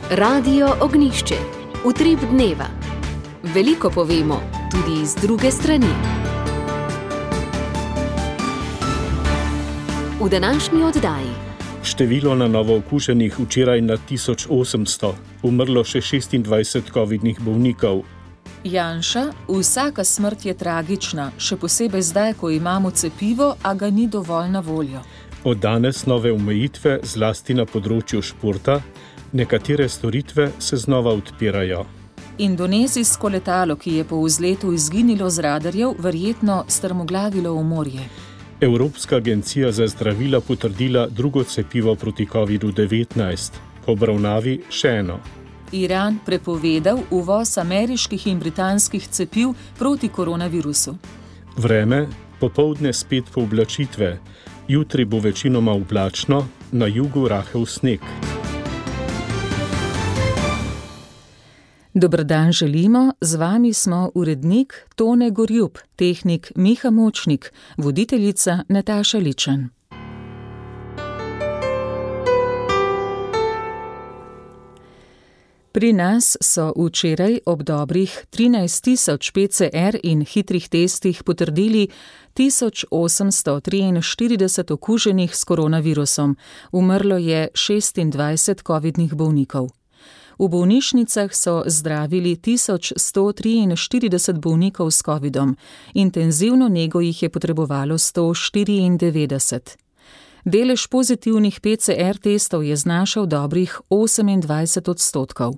Radio Ognjišče. Utrip dneva. Veliko povemo, tudi iz druge strani. V današnji oddaji. Število na novo okuženih včeraj na 1800, umrlo še 26 covidnih bolnikov. Janša, vsaka smrt je tragična, še posebej zdaj, ko imamo cepivo, a ga ni dovolj na voljo. Od danes nove omejitve, zlasti na področju športa, nekatere storitve se znova odpirajo. Indonezijsko letalo, ki je po vzletu izginilo z radarjev, verjetno strmoglavilo v morje. Evropska agencija za zdravila potrdila drugo cepivo proti COVID-19, po obravnavi še eno. Iran prepovedal uvoz ameriških in britanskih cepiv proti koronavirusu. Vreme, popoldne spet pooblačitve, jutri bo večinoma oblačno, na jugu rahel sneg. Dober dan želimo, z vami smo urednik Tone Gorjup, tehnik Miha Močnik, voditeljica Nataša Ličen. Pri nas so včeraj ob dobrih 13.000 PCR in hitrih testih potrdili 1843 okuženih s koronavirusom, umrlo je 26 covidnih bolnikov. V bolnišnicah so zdravili 1143 bolnikov s covidom, intenzivno nego jih je potrebovalo 194. Delež pozitivnih PCR testov je znašal dobrih 28%.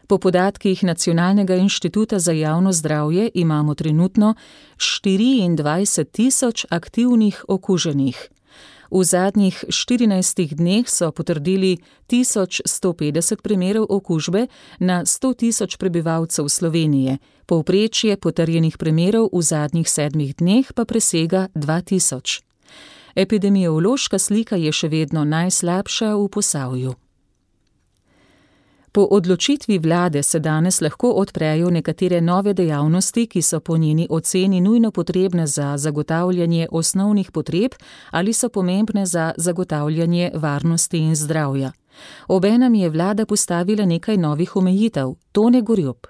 Po podatkih Nacionalnega inštituta za javno zdravje imamo trenutno 24.000 aktivnih okuženih. V zadnjih 14 dneh so potrdili 1150 primerov okužbe na 100.000 prebivalcev Slovenije, povprečje potrjenih primerov v zadnjih 7 dneh pa presega 2000. Epidemiološka slika je še vedno najslabša v Posavju. Po odločitvi vlade se danes lahko odprejo nekatere nove dejavnosti, ki so po njeni oceni nujno potrebne za zagotavljanje osnovnih potreb ali so pomembne za zagotavljanje varnosti in zdravja. Obenem je vlada postavila nekaj novih omejitev. Tone Gorjup.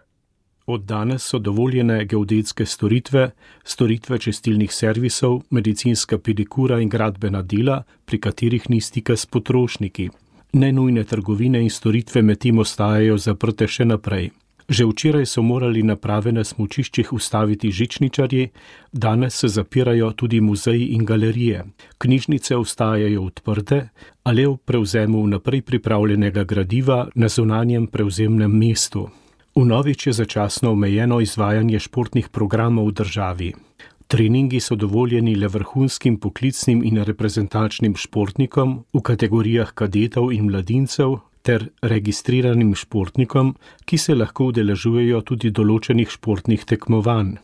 Od danes so dovoljene geodetske storitve, storitve čistilnih servisov, medicinska pedikura in gradbena dela, pri katerih ni stika s potrošniki. Nenujne trgovine in storitve medtem ostajajo zaprte še naprej. Že včeraj so morali naprave na smučiščih ustaviti žičničarji, danes se zapirajo tudi muzeji in galerije. Knjižnice ostajajo odprte, a le v prevzemu vnaprej pripravljenega gradiva na zunanjem prevzemnem mestu. Vnovič je začasno omejeno izvajanje športnih programov v državi. Treningi so dovoljeni le vrhunskim poklicnim in reprezentančnim športnikom v kategorijah kadetov in mladincev ter registriranim športnikom, ki se lahko udeležujejo tudi določenih športnih tekmovanj.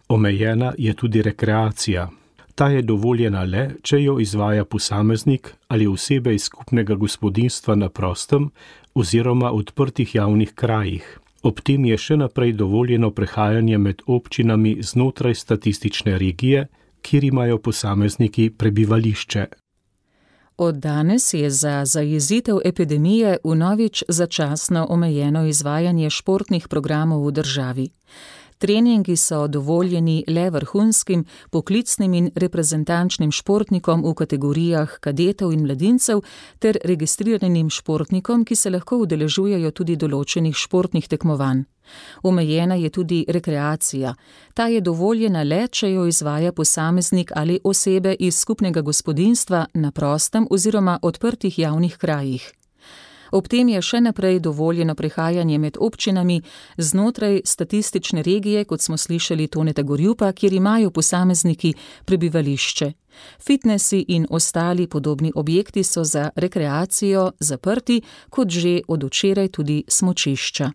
Omejena je tudi rekreacija. Ta je dovoljena le, če jo izvaja posameznik ali osebe iz skupnega gospodinjstva na prostem oziroma odprtih javnih krajih. Ob tem je še naprej dovoljeno prehajanje med občinami znotraj statistične regije, kjer imajo posamezniki prebivališče. Od danes je za zajezitev epidemije vnovič začasno omejeno izvajanje športnih programov v državi. Treningi so dovoljeni le vrhunskim, poklicnim in reprezentančnim športnikom v kategorijah kadetov in mladincev ter registriranim športnikom, ki se lahko udeležujejo tudi določenih športnih tekmovanj. Omejena je tudi rekreacija. Ta je dovoljena le, če jo izvaja posameznik ali osebe iz skupnega gospodinjstva na prostem oziroma odprtih javnih krajih. Ob tem je še naprej dovoljeno prehajanje med občinami znotraj statistične regije, kot smo slišali Toneta Gorjupa, kjer imajo posamezniki prebivališče. Fitnesi in ostali podobni objekti so za rekreacijo zaprti, kot že od včeraj tudi smučišča.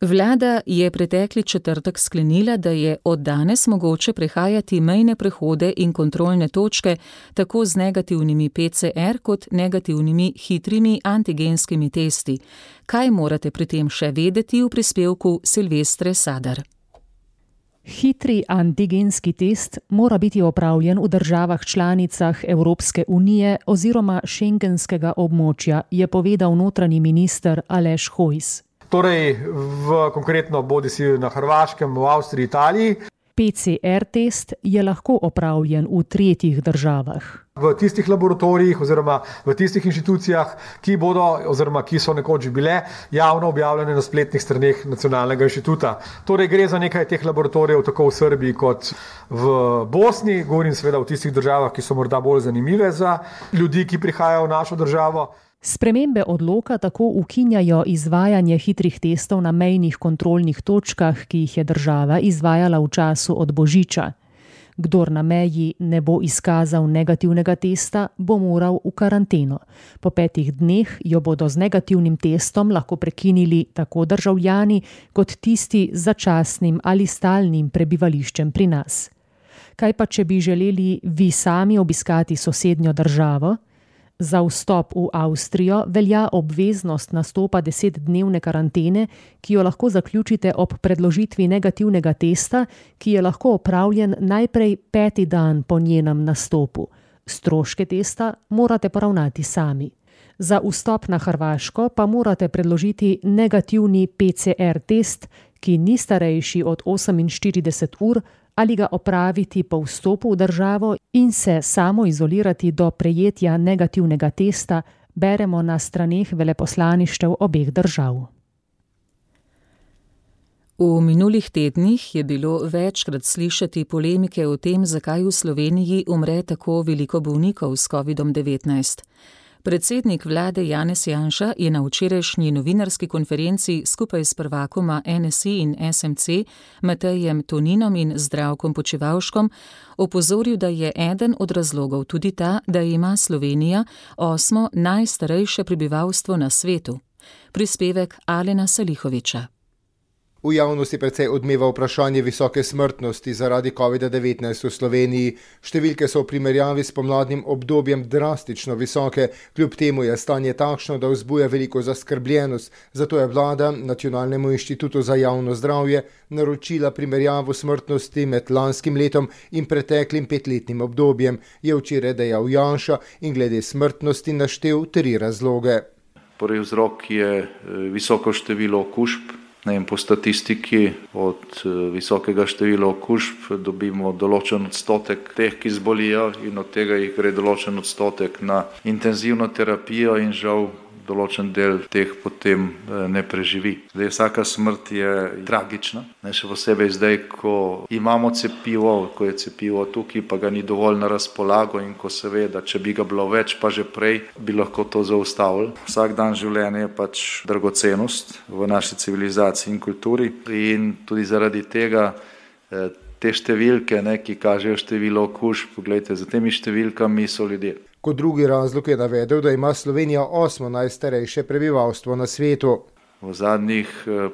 Vlada je pretekli četrtek sklenila, da je od danes mogoče prehajati mejne prehode in kontrolne točke tako z negativnimi PCR kot negativnimi hitrimi antigenskimi testi. Kaj morate pri tem še vedeti v prispevku Silvestre Sadar? Hitri antigenski test mora biti opravljen v državah članicah Evropske unije oziroma šengenskega območja, je povedal notranji minister Aleš Hojs. Torej, konkretno bodisi na Hrvaškem, v Avstriji, Italiji. PCR test je lahko opravljen v tretjih državah. V tistih laboratorijih oziroma v tistih inštitucijah, ki so nekoč bile javno objavljene na spletnih straneh Nacionalnega inštituta. Torej gre za nekaj teh laboratorijev tako v Srbiji kot v Bosni, govorim seveda v tistih državah, ki so morda bolj zanimive za ljudi, ki prihajajo v našo državo. Spremembe odloka tako ukinjajo izvajanje hitrih testov na mejnih kontrolnih točkah, ki jih je država izvajala v času od Božiča. Kdor na meji ne bo izkazal negativnega testa, bo moral v karanteno. Po 5 dneh jo bodo z negativnim testom lahko prekinili tako državljani kot tisti z začasnim ali stalnim prebivališčem pri nas. Kaj pa, če bi želeli vi sami obiskati sosednjo državo? Za vstop v Avstrijo velja obveznost nastopa 10-dnevne karantene, ki jo lahko zaključite ob predložitvi negativnega testa, ki je lahko opravljen najprej 5. dan po njenem nastopu. Stroške testa morate poravnati sami. Za vstop na Hrvaško pa morate predložiti negativni PCR test, ki ni starejši od 48 ur, ali ga opraviti po vstopu v državo in se samoizolirati do prejetja negativnega testa, beremo na straneh veleposlaništev obeh držav. V minulih tednih je bilo večkrat slišati polemike o tem, zakaj v Sloveniji umre tako veliko bolnikov s COVID-19. Predsednik vlade Janez Janša je na včerajšnji novinarski konferenci skupaj s prvakoma NSI in SMC, Matejem Toninom in Zdravkom Počivalškom, opozoril, da je eden od razlogov tudi ta, da ima Slovenija 8. najstarejše prebivalstvo na svetu. Prispevek Alena Salihoviča. V javnosti precej odmeva vprašanje visoke smrtnosti zaradi COVID-19 v Sloveniji. Številke so v primerjavi s pomladnim obdobjem drastično visoke, kljub temu je stanje takšno, da vzbuja veliko zaskrbljenost. Zato je vlada Nacionalnemu inštitutu za javno zdravje naročila primerjavo smrtnosti med lanskim letom in preteklim 5-letnim obdobjem, je včeraj dejal Janša in glede smrtnosti naštel 3 razloge. Prvi vzrok je visoko število okužb. Po statistiki od visokega števila okužb dobimo določen odstotek teh, ki zbolijo, in od tega jih gre določen odstotek na intenzivno terapijo in žal določen del teh potem ne preživi. Vsaka smrt je tragična, še posebej zdaj, ko imamo cepivo, ko je cepivo tukaj, pa ga ni dovolj na razpolago in ko se ve, da če bi ga bilo več, pa že prej, bi lahko to zaustavili. Vsak dan življenja je pač dragocenost v naši civilizaciji in kulturi in tudi zaradi tega te številke, ki kažejo število okužb, poglejte, za temi številkami so ljudje. Kot drugi razlog je navedel, da ima Slovenija 8. najstarejše prebivalstvo na svetu. V zadnjih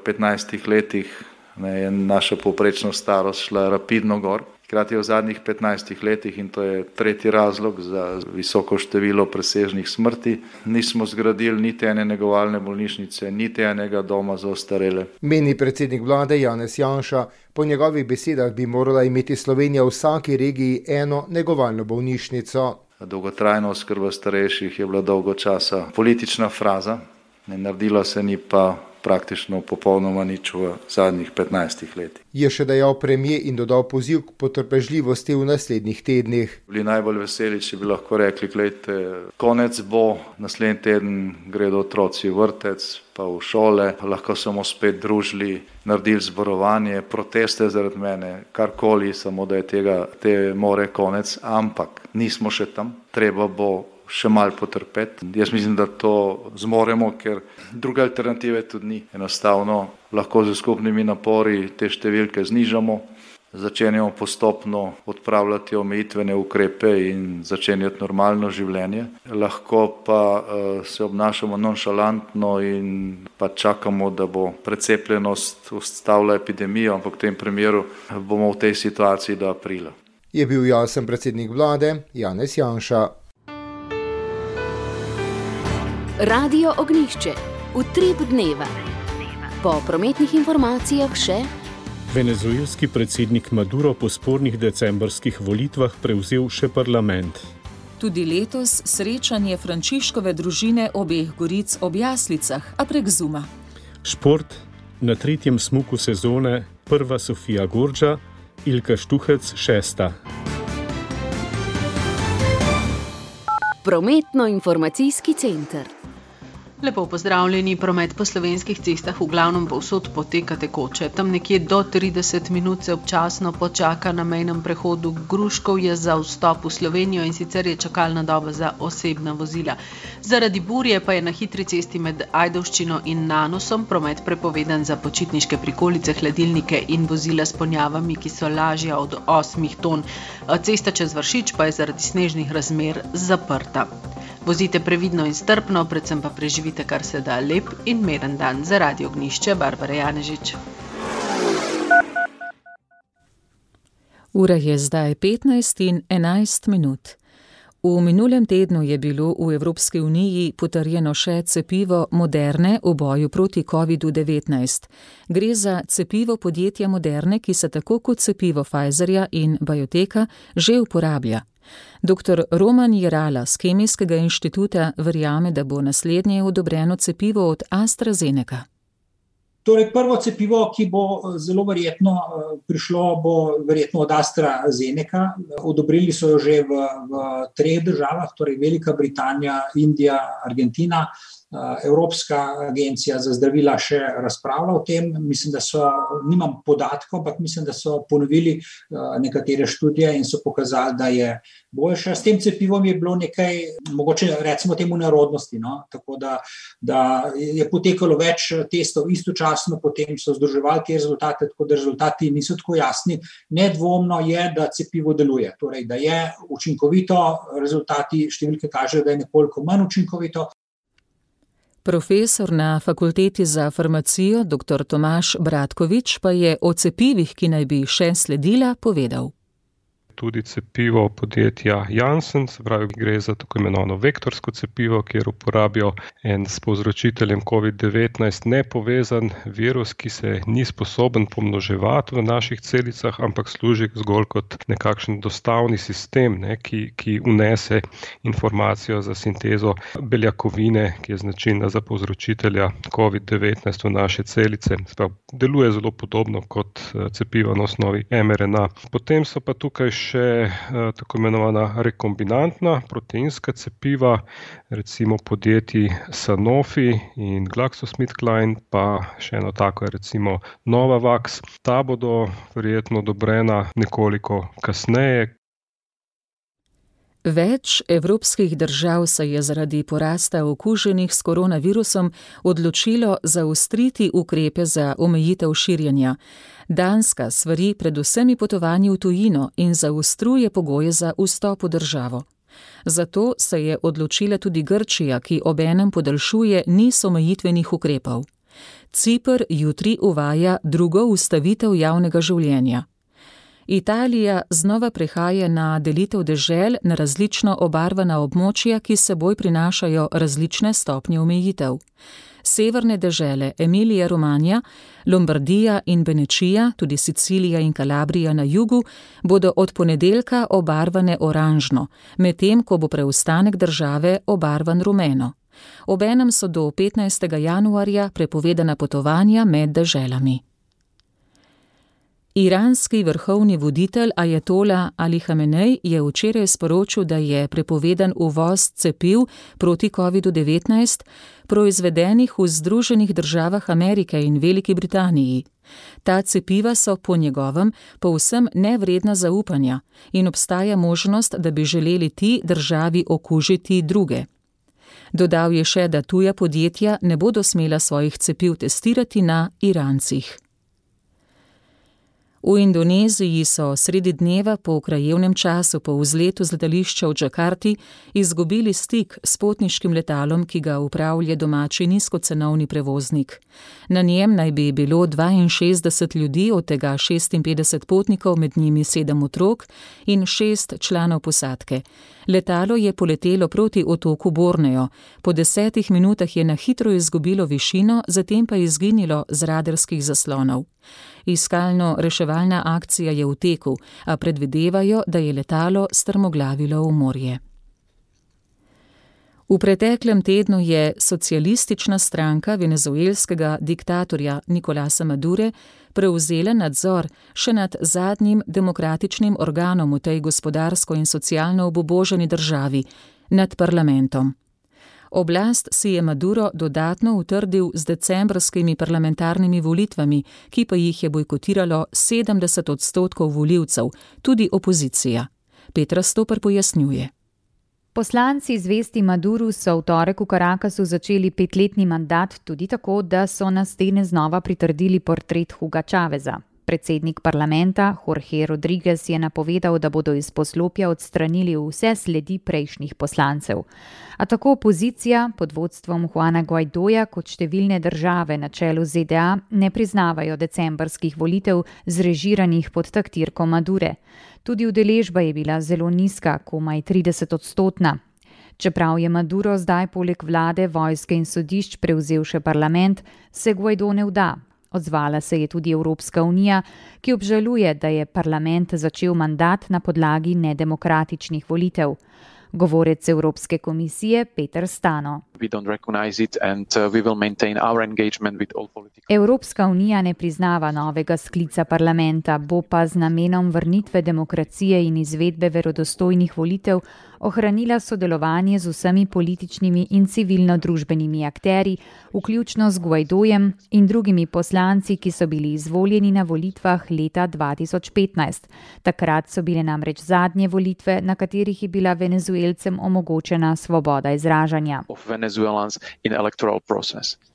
15 letih je naša povprečna starost šla rapidno gor. Hkrati v zadnjih 15 letih, in to je tretji razlog za visoko število presežnih smrti, nismo zgradili niti ene negovalne bolnišnice, niti enega doma za ostarele. Meni predsednik vlade Janez Janša, po njegovih besedah bi morala imeti Slovenija v vsaki regiji eno negovalno bolnišnico. Dolgotrajna oskrba starejših je bila dolgo časa politična fraza, ne naredilo se ni pa praktično popolnoma nič v zadnjih 15 letih. Je še dejal premier in dodal poziv k potrpežljivosti v naslednjih tednih. Bili najbolj veseli, če bi lahko rekli, glejte, konec bo, naslednji teden gredo otroci v vrtec, pa v šole, lahko samo spet družili, naredili zborovanje, proteste zaradi mene, karkoli, samo da je te more konec, ampak nismo še tam, treba bo še malo potrpeti. Jaz mislim, da to zmoremo, ker druge alternative tudi ni. Enostavno lahko z skupnimi napori te številke znižamo, začenjamo postopno odpravljati omejitvene ukrepe in začenjati normalno življenje. Lahko pa se obnašamo nonšalantno in pa čakamo, da bo precepljenost ustavila epidemijo, ampak v tem primeru bomo v tej situaciji do aprila. Je bil jasen predsednik vlade Janez Janša. Radio Ognjišče, utrip dneva. Po prometnih informacijah še Venezuelski predsednik Maduro po spornih decembrskih volitvah prevzel še parlament. Tudi letos srečanje Frančiškove družine obeh goric ob Jaslicah, a prek Zooma. Šport, na 3. smuku sezone, prva Sofija Gorđa, Ilka Štuhec 6. Prometno-informacijski center. Lepo pozdravljeni, promet po slovenskih cestah v glavnem povsod poteka tekoče. Tam nekje do 30 minut se občasno počaka na mejnem prehodu Gruškovje za vstop v Slovenijo in sicer je čakalna doba za osebna vozila. Zaradi burje pa je na hitri cesti med Ajdovščino in Nanosom promet prepovedan za počitniške prikolice, hladilnike in vozila s ponjavami, ki so lažja od 8 ton. Cesta čez Vršič pa je zaradi snežnih razmer zaprta. Vozite previdno in strpno, predvsem pa preživite kar se da lep in miren dan. Za Radio Ognjišče, Barbara Janežič. Ura je zdaj 15:11 minut. V minulem tednu je bilo v Evropski uniji potrjeno še cepivo Moderne v boju proti COVID-19. Gre za cepivo podjetja Moderne, ki se tako kot cepivo Pfizerja in BioNTecha že uporablja. Dr. Roman Jerala z Kemijskega inštituta verjame, da bo naslednje odobreno cepivo od AstraZeneca. Torej, prvo cepivo, ki bo zelo verjetno prišlo, bo verjetno od AstraZeneca. Odobrili so jo že v 3 državah, torej Velika Britanija, Indija, Argentina. Evropska agencija za zdravila še razpravlja o tem. Mislim, da nimam podatkov, ampak mislim, da so ponovili nekatere študije in so pokazali, da je boljša. S tem cepivom je bilo nekaj, mogoče recimo temu nerodnosti, no? Tako da je potekalo več testov istočasno, potem so združevali te rezultate, tako da rezultati niso tako jasni. Nedvomno je, da cepivo deluje, torej da je učinkovito, rezultati številke kažejo, da je nekoliko manj učinkovito. Profesor na Fakulteti za farmacijo dr. Tomaž Bratkovič pa je o cepivih, ki naj bi še sledila, povedal. Tudi cepivo podjetja Janssen, se pravi, gre za tako imenovano vektorsko cepivo, kjer uporabijo en s povzročiteljem COVID-19 nepovezan virus, ki se ni sposoben pomnoževati v naših celicah, ampak služi zgolj kot nekakšen dostavni sistem, ki unese informacijo za sintezo beljakovine, ki je značilna za povzročitelja COVID-19 v naše celice. Sprav, deluje zelo podobno kot cepivo na osnovi mRNA. Potem so pa tukaj še tako imenovana rekombinantna proteinska cepiva, recimo podjetji Sanofi in GlaxoSmithKline, pa še eno tako je recimo Novavax. Ta bodo verjetno odobrena nekoliko kasneje. Več evropskih držav se je zaradi porasta okuženih s koronavirusom odločilo zaostriti ukrepe za omejitev širjenja. Danska svari pred vsemi potovanji v tujino in zaostruje pogoje za vstop v državo. Zato se je odločila tudi Grčija, ki obenem podaljšuje niz omejitvenih ukrepov. Ciper jutri uvaja drugo ustavitev javnega življenja. Italija znova prehaja na delitev dežel na različno obarvana območja, ki s seboj prinašajo različne stopnje omejitev. Severne dežele Emilija, Romanija, Lombardija in Benečija, tudi Sicilija in Kalabrija na jugu, bodo od ponedeljka obarvane oranžno, medtem ko bo preostanek države obarvan rumeno. Obenem so do 15. januarja prepovedana potovanja med deželami. Iranski vrhovni voditelj Ajatola Ali Hamenej je včeraj sporočil, da je prepovedan uvoz cepiv proti COVID-19, proizvedenih v Združenih državah Amerike in Veliki Britaniji. Ta cepiva so po njegovem povsem nevredna zaupanja in obstaja možnost, da bi želeli ti državi okužiti druge. Dodal je še, da tuja podjetja ne bodo smela svojih cepiv testirati na Irancih. V Indoneziji so sredi dneva po krajevnem času po vzletu z letališča v Džakarti izgubili stik s potniškim letalom, ki ga upravlja domači nizkocenovni prevoznik. Na njem naj bi bilo 62 ljudi, od tega 56 potnikov, med njimi 7 otrok in 6 članov posadke. Letalo je poletelo proti otoku Borneo. Po 10 minutah je na hitro izgubilo višino, zatem pa izginilo z radarskih zaslonov. Iskalno-reševalna akcija je v teku, a predvidevajo, da je letalo strmoglavilo v morje. V preteklem tednu je socialistična stranka venezuelskega diktatorja Nicolasa Madure prevzela nadzor še nad zadnjim demokratičnim organom v tej gospodarsko in socialno obuboženi državi, nad parlamentom. Oblast si je Maduro dodatno utrdil z decembrskimi parlamentarnimi volitvami, ki pa jih je bojkotiralo 70% volivcev, tudi opozicija. Petra Stoper pojasnjuje. Poslanci zvesti Maduru so v torek v Caracasu začeli 5-letni mandat tudi tako, da so na stene znova pritrdili portret Huga Chaveza. Predsednik parlamenta Jorge Rodriguez je napovedal, da bodo iz poslopja odstranili vse sledi prejšnjih poslancev. A tako opozicija pod vodstvom Juana Guaidoja kot številne države na čelu ZDA ne priznavajo decembrskih volitev zrežiranih pod taktirko Madure. Tudi udeležba je bila zelo nizka, komaj 30%. Čeprav je Maduro zdaj poleg vlade, vojske in sodišč prevzel še parlament, se Guaido ne vda. Odzvala se je tudi Evropska unija, ki obžaluje, da je parlament začel mandat na podlagi nedemokratičnih volitev. Govorec Evropske komisije Peter Stano. Evropska unija ne priznava novega sklica parlamenta, bo pa z namenom vrnitve demokracije in izvedbe verodostojnih volitev ohranila sodelovanje z vsemi političnimi in civilno-družbenimi akterji, vključno z Guaidojem in drugimi poslanci, ki so bili izvoljeni na volitvah leta 2015. Takrat so bile namreč zadnje volitve, na katerih je bila Venezuelcem omogočena svoboda izražanja.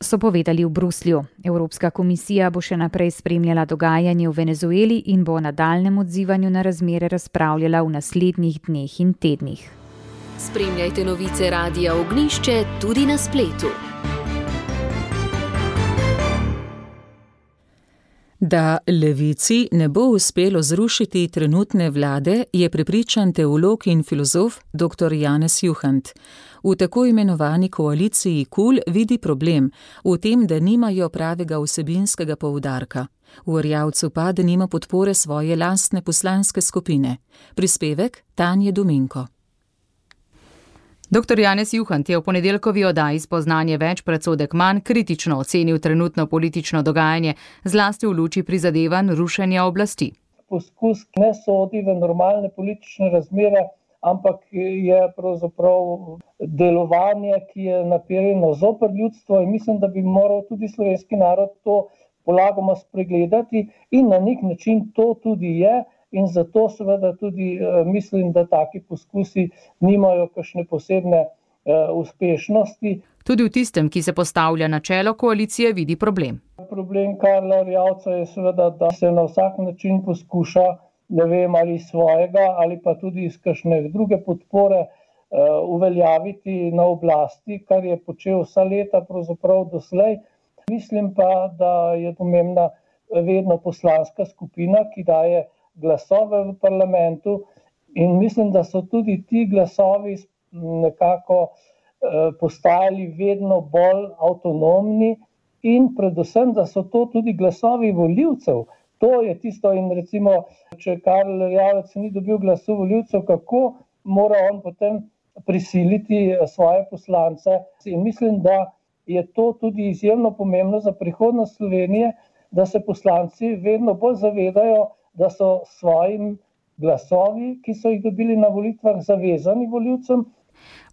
So povedali v Bruslju. Evropska komisija bo še naprej spremljala dogajanje v Venezueli in bo o nadaljnjem odzivanju na razmere razpravljala v naslednjih dneh in tednih. Spremljajte novice Radia Ognjišče tudi na spletu. Da levici ne bo uspelo zrušiti trenutne vlade, je prepričan teolog in filozof dr. Janez Juhant. V tako imenovani koaliciji KUL vidi problem v tem, da nimajo pravega vsebinskega poudarka. V Erjavcu pa, da nima podpore svoje lastne poslanske skupine. Prispevek Tanje Dominko. Dr. Janez Juhant je v ponedeljkovi oddaji Spoznanje več, predsodek manj kritično ocenil trenutno politično dogajanje, zlasti v luči prizadevanj rušenja oblasti. Poskus ne sodi v normalne politične razmere, ampak je pravzaprav delovanje, ki je naperjeno zoper ljudstvo, in mislim, da bi moral tudi slovenski narod to polagoma spregledati in na nek način to tudi je. In zato seveda tudi mislim, da taki poskusi nimajo kakšne posebne uspešnosti. Tudi v tistem, ki se postavlja na čelo koalicije, vidi problem. Problem Karla Erjavca je seveda, da se na vsak način poskuša, ali svojega ali pa tudi iz kakšne druge podpore uveljaviti na oblasti, kar je počel vsa leta pravzaprav doslej. Mislim pa, da je pomembna vedno poslanska skupina, ki daje glasove v parlamentu, in mislim, da so tudi ti glasovi nekako postajali vedno bolj avtonomni in predvsem, da so to tudi glasovi volivcev. To je tisto, in recimo, če Karl Erjavec ni dobil glasu volivcev, kako mora on potem prisiliti svoje poslance. In mislim, da je to tudi izjemno pomembno za prihodnost Slovenije, da se poslanci vedno bolj zavedajo, da so svojim glasovi, ki so jih dobili na volitvah, zavezani volivcem.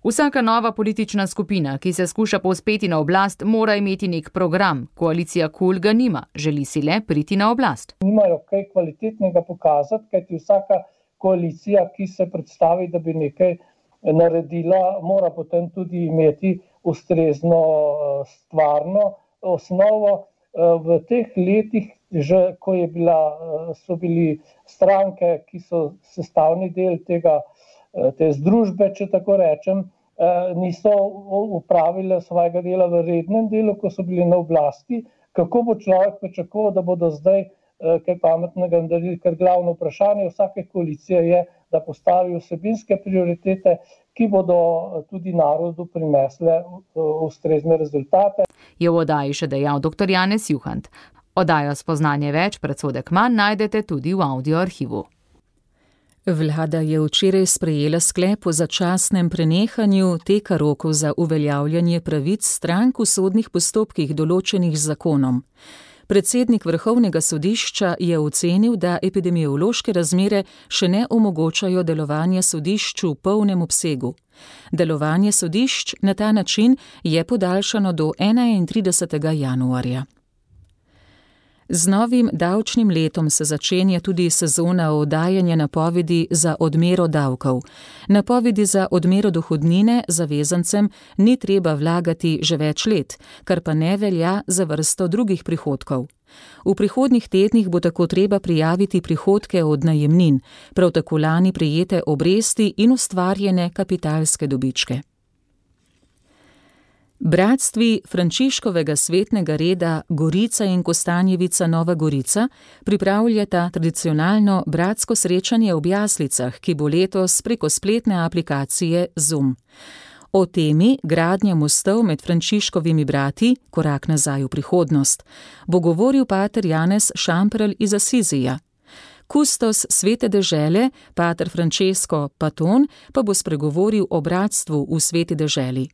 Vsaka nova politična skupina, ki se skuša povzpeti na oblast, mora imeti nek program. Koalicija KUL ga nima, želi si le priti na oblast. Nimajo kaj kvalitetnega pokazati, kajti vsaka koalicija, ki se predstavi, da bi nekaj naredila, mora potem tudi imeti ustrezno stvarno osnovo. V teh letih, že ko so bili stranke, ki so sestavni del te združbe, če tako rečem, niso upravile svojega dela v rednem delu, ko so bili na oblasti. Kako bo človek pričakoval, da bodo zdaj kaj pametnega naredili, ker glavno vprašanje vsake koalicije je, da postavi vsebinske prioritete, ki bodo tudi narodu prinesle ustrezne rezultate. Je v oddaji še dejal dr. Janez Juhant. Oddajo Spoznanje več, predsodek manj najdete tudi v audioarhivu. Vlada je včeraj sprejela sklep o začasnem prenehanju teka rokov za uveljavljanje pravic strank v sodnih postopkih določenih z zakonom. Predsednik Vrhovnega sodišča je ocenil, da epidemiološke razmere še ne omogočajo delovanje sodišč v polnem obsegu. Delovanje sodišč na ta način je podaljšano do 31. januarja. Z novim davčnim letom se začenja tudi sezona oddajanja napovedi za odmero davkov. Napovedi za odmero dohodnine zavezancem ni treba vlagati že več let, kar pa ne velja za vrsto drugih prihodkov. V prihodnjih tednih bo tako treba prijaviti prihodke od najemnin, prav tako lani prejete obresti in ustvarjene kapitalske dobičke. Bratstvi Frančiškovega svetnega reda Gorica in Kostanjevica Nova Gorica pripravljata tradicionalno bratsko srečanje ob jaslicah, ki bo letos preko spletne aplikacije Zoom. O temi gradnja mostov med Frančiškovimi brati, korak nazaj v prihodnost, bo govoril pater Janez Šamprl iz Asizija. Kustos Svete dežele, pater Francesco Paton, pa bo spregovoril o bratstvu v Sveti deželi.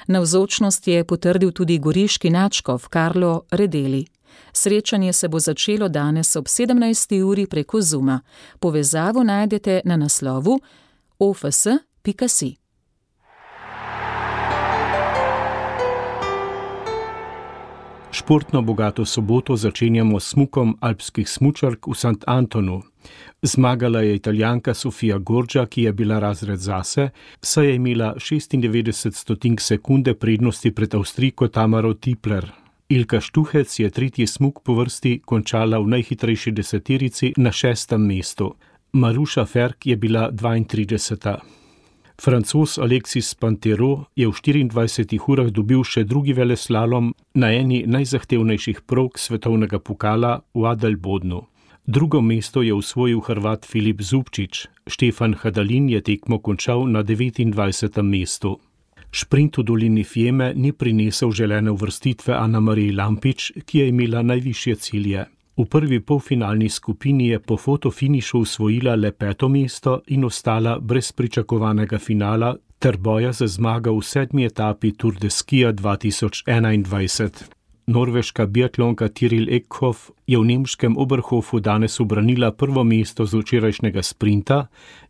Navzočnost je potrdil tudi goriški nadškof Karlo Redeli. Srečanje se bo začelo danes ob 17. uri preko Zooma. Povezavo najdete na naslovu ofs.si. Športno bogato soboto začenjamo s smukom alpskih smučark v St. Antonu. Zmagala je Italijanka Sofia Gorđa, ki je bila razred zase, saj je imela 96 sekunde prednosti pred Avstrijko Tamaro Tipler. Ilka Štuhec je tretji smuk po vrsti končala v najhitrejši deseterici na 6. mestu. Maruša Ferk je bila 32. Francoz Alexis Pantero je v 24 urah dobil še drugi veleslalom na eni najzahtevnejših prog svetovnega pokala v Adelbodnu. Drugo mesto je osvojil Hrvat Filip Zubčič, Štefan Hadalin je tekmo končal na 29. mestu. Šprint v dolini Fieme ni prinesel želene uvrstitve Anamariji Lampič, ki je imela najvišje cilje. V prvi polfinalni skupini je po fotofinišu osvojila le 5. mesto in ostala brez pričakovanega finala ter boja za zmago v 7. etapi Tour de Skija 2021. Norveška biatlonka Tiril Ekhoff je v nemškem Oberhofu danes ubranila prvo mesto z včerajšnjega sprinta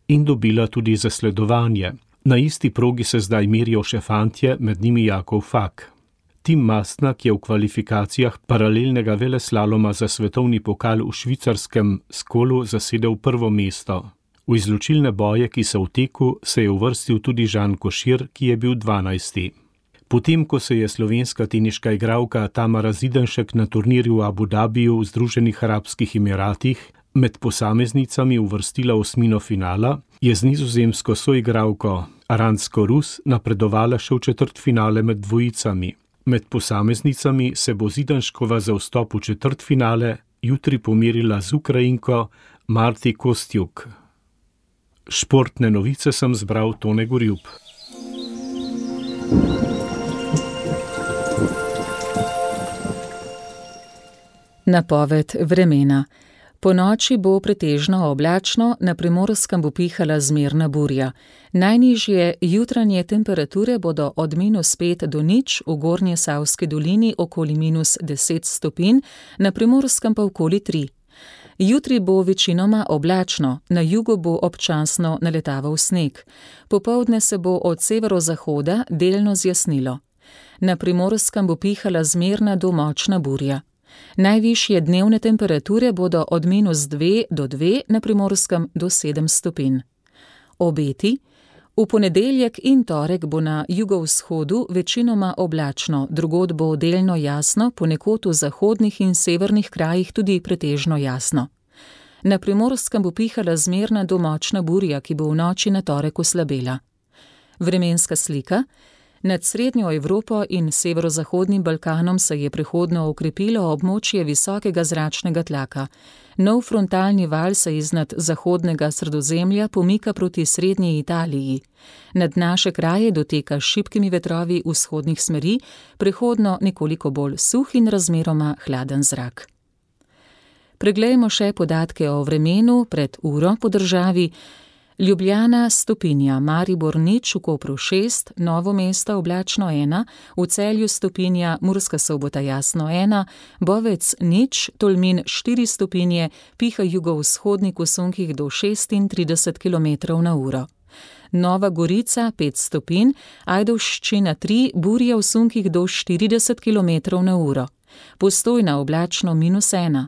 in dobila tudi zasledovanje. Na isti progi se zdaj merijo še fantje, med njimi Jakov Fak. Tim Mastnak je v kvalifikacijah paralelnega veleslaloma za svetovni pokal v švicarskem Skolu zasedel prvo mesto. V izločilne boje, ki so v teku, se je uvrstil tudi Žan Košir, ki je bil 12. Potem, ko se je slovenska teniška igralka Tamara Zidanšek na turnirju v Abu Dhabiju v Združenih arabskih emiratih med posameznicami uvrstila v osmino finala, je z nizozemsko soigralko Aransko Rus napredovala še v četrtfinale med dvojicami. Med posameznicami se bo Zidanškova za vstop v četrtfinale jutri pomerila z Ukrajinko Marti Kostjuk. Športne novice sem zbral Tone Gorjup. Napoved vremena. Po noči bo pretežno oblačno, na Primorskem bo pihala zmerna burja. Najnižje jutranje temperature bodo od -5 do 0, v Gornje Savski dolini okoli -10 stopinj, na Primorskem pa okoli 3. Jutri bo večinoma oblačno, na jugu bo občasno naletaval sneg. Popoldne se bo od severozahoda delno zjasnilo. Na Primorskem bo pihala zmerna do močna burja. Najvišje dnevne temperature bodo od -2 do 2, na Primorskem do 7 stopinj. Obeti. V ponedeljek in torek bo na jugovzhodu večinoma oblačno, drugod bo delno jasno, ponekod v zahodnih in severnih krajih tudi pretežno jasno. Na Primorskem bo pihala zmerna do močna burja, ki bo v noči na torek oslabela. Vremenska slika. Nad srednjo Evropo in severozahodnim Balkanom se je prehodno okrepilo območje visokega zračnega tlaka. Nov frontalni val se iznad zahodnega Sredozemlja pomika proti srednji Italiji. Nad naše kraje doteka s šibkimi vetrovi vzhodnih smeri, prehodno nekoliko bolj suh in razmeroma hladen zrak. Preglejmo še podatke o vremenu pred uro po državi. Ljubljana stopinja, Maribor nič, v Kopru 6, Novo mesto oblačno 1, v Celju stopinja, Murska Sobota jasno 1, Bovec nič, Tolmin 4 stopinje, piha jugovzhodnik v sunkih do 36 km/h. Nova Gorica 5 stopinj, Ajdovščina 3, burja v sunkih do 40 km/h. Postojna oblačno -1.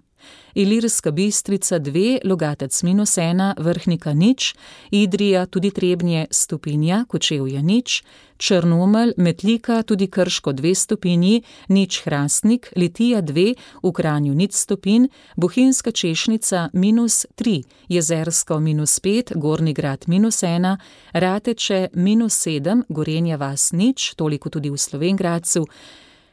Ilirska Bistrica 2, Logatec -1, Vrhnika nič, Idrija tudi Trebnje stopinja, Kočevje nič, Črnomelj, Metlika tudi Krško 2 stopinji, nič Hrastnik, Litija 2, v Kranju 0 stopinj, Bohinjska Češnica -3, Jezersko -5, Gornji Grad -1, Rateče -7, Gorenja vas nič, toliko tudi v Slovenj Gradcu,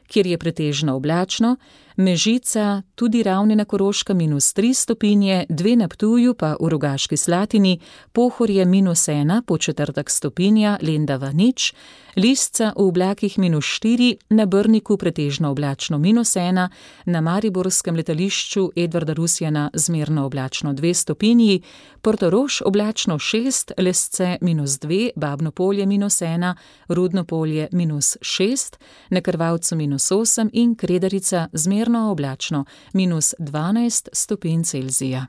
kjer je pretežno oblačno, Mežica, tudi Ravne na Koroškem -3 stopinje, 2 na Ptuju pa v Rogaški Slatini, Pohorje -1, Podčetrtek stopinja, Lendava nič, Lisca v oblakih -4, na Brniku pretežno oblačno -1, na mariborskem letališču Edvarda Rusjana zmerno oblačno 2 stopinji, Portorož oblačno 6, Lesce -2, Babno Polje -1, Rudno Polje -6, na Krvavcu -8 in Kredarica zmerno oblačno -12 stopinj Celzija.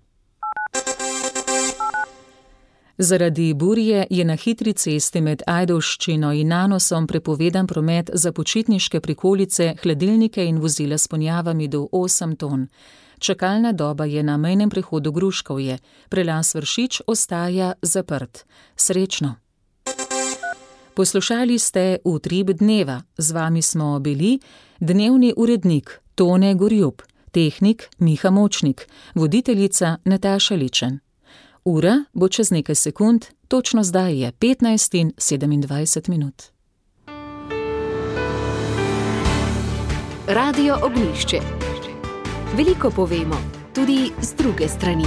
Zaradi burje je na hitri cesti med Ajdovščino in Nanosom prepovedan promet za počitniške prikolice, hladilnike in vozila s ponjavami do 8 ton. Čakalna doba je na mejnem prehodu Gruškovje, prelaz Vršič ostaja zaprt. Srečno! Poslušali ste Utrip dneva. Z vami smo bili dnevni urednik Tone Gorjup, tehnik Miha Močnik, voditeljica Nataša Ličen. Ura bo čez nekaj sekund, točno zdaj je 15:27. Radio Ognjišče. Veliko povemo, tudi z druge strani.